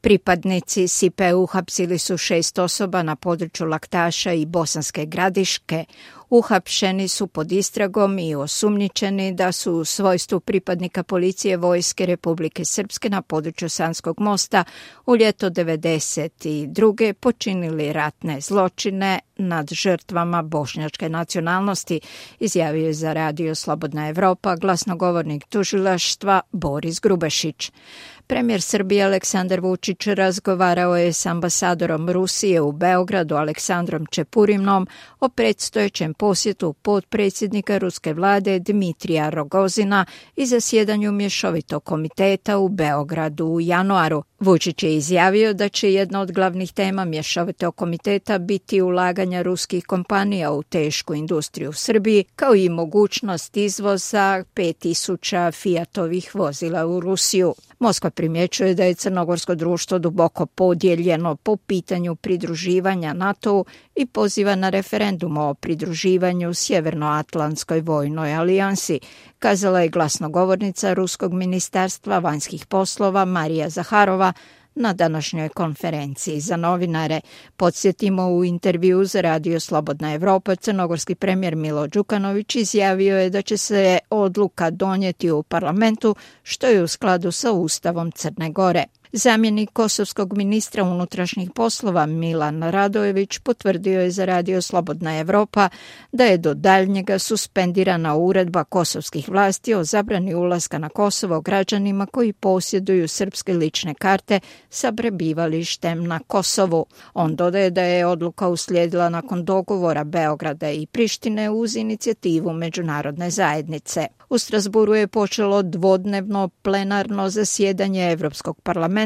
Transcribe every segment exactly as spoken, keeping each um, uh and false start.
Pripadnici S I P E uhapsili su šest osoba na području Laktaša i Bosanske Gradiške. Uhapšeni su pod istragom i osumnjičeni da su u svojstvu pripadnika policije Vojske Republike Srpske na području Sanskog mosta u ljeto devedeset druge počinili ratne zločine nad žrtvama bošnjačke nacionalnosti, izjavio je za radio Slobodna Evropa glasnogovornik tužilaštva Boris Grubešić. Premijer Srbije Aleksandar Vučić razgovarao je s ambasadorom Rusije u Beogradu Aleksandrom Čepurimnom o predstojećem posjetu potpredsjednika ruske vlade Dmitrija Rogozina i zasjedanju mješovitog komiteta u Beogradu u januaru. Vučić je izjavio da će jedna od glavnih tema mješovitog komiteta biti ulaganja ruskih kompanija u tešku industriju u Srbiji, kao i mogućnost izvoza pet tisuća Fiatovih vozila u Rusiju. Moskva primjećuje da je crnogorsko društvo duboko podijeljeno po pitanju pridruživanja NATO-u i poziva na referendum o pridruživanju Sjevernoatlantskoj vojnoj alijansi, kazala je glasnogovornica Ruskog ministarstva vanjskih poslova Marija Zaharova na današnjoj konferenciji za novinare. Podsjetimo, u intervju za radio Slobodna Evropa crnogorski premijer Milo Đukanović izjavio je da će se odluka donijeti u parlamentu, što je u skladu sa Ustavom Crne Gore. Zamjenik kosovskog ministra unutrašnjih poslova Milan Radojević potvrdio je za radio Slobodna Evropa da je do daljnjega suspendirana uredba kosovskih vlasti o zabrani ulaska na Kosovo građanima koji posjeduju srpske lične karte sa prebivalištem na Kosovu. On dodaje da je odluka uslijedila nakon dogovora Beograda i Prištine uz inicijativu međunarodne zajednice. U Strasburu je počelo dvodnevno plenarno zasjedanje Evropskog parlamenta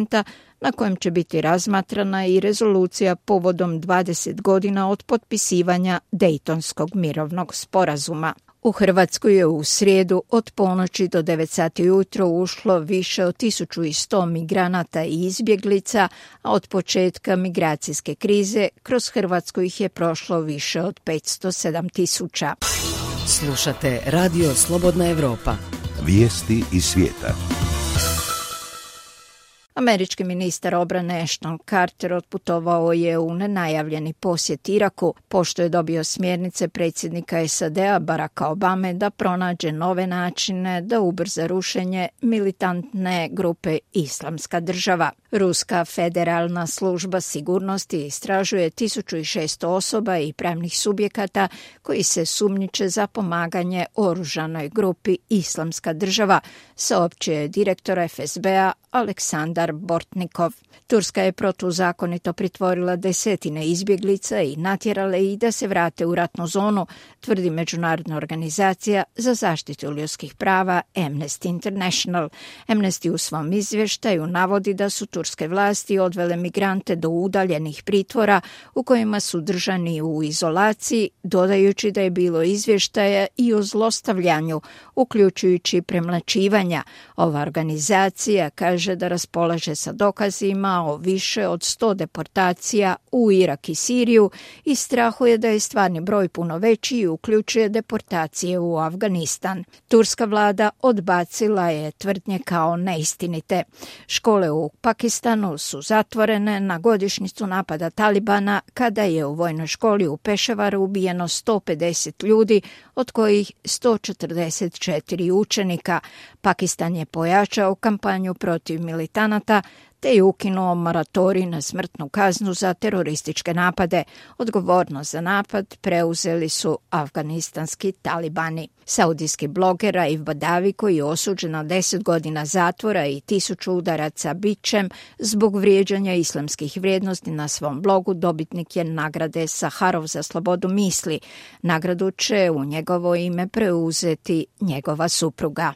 na kojem će biti razmatrana i rezolucija povodom dvadeset godina od potpisivanja Dejtonskog mirovnog sporazuma. U Hrvatsku je u srijedu od ponoći do devet sati ujutro ušlo više od tisuću sto migranata i izbjeglica, a od početka migracijske krize kroz Hrvatsku ih je prošlo više od petsto sedam tisuća. Slušate radio Slobodna Evropa. Vijesti iz svijeta. Američki ministar obrane Ashton Carter otputovao je u nenajavljeni posjet Iraku, pošto je dobio smjernice predsjednika S A D-a Baracka Obame da pronađe nove načine da ubrza rušenje militantne grupe Islamska država. Ruska federalna služba sigurnosti istražuje tisuću šesto osoba i pravnih subjekata koji se sumnjiče za pomaganje oružanoj grupi Islamska država, saopćio je direktor F S B-a Aleksandar Bortnikov. Turska je protuzakonito pritvorila desetine izbjeglica i natjerala ih da se vrate u ratnu zonu, tvrdi međunarodna organizacija za zaštitu ljudskih prava Amnesty International. Amnesty u svom izvještaju navodi da su turske vlasti odvele migrante do udaljenih pritvora u kojima su držani u izolaciji, dodajući da je bilo izvještaja i o zlostavljanju, uključujući premlaćivanja. Ova organizacija kaže da raspolaže sa dokazima o više od sto deportacija u Irak i Siriju i strahuje da je stvarni broj puno veći i uključuje deportacije u Afganistan. Turska vlada odbacila je tvrdnje kao neistinite. Škole u Pakistanu su zatvorene na godišnjicu napada Talibana kada je u vojnoj školi u Pešavaru ubijeno sto pedeset ljudi, od kojih sto četrdeset četiri učenika. Pakistan je pojačao kampanju protiv militanata te je ukinuo moratorij na smrtnu kaznu za terorističke napade. Odgovornost za napad preuzeli su afganistanski talibani. Saudijski bloger Raif Badavi, koji je osuđen na deset godina zatvora i tisuću udaraca bičem zbog vrijeđanja islamskih vrijednosti na svom blogu, dobitnik je nagrade Saharov za slobodu misli. Nagradu će u njegovo ime preuzeti njegova supruga.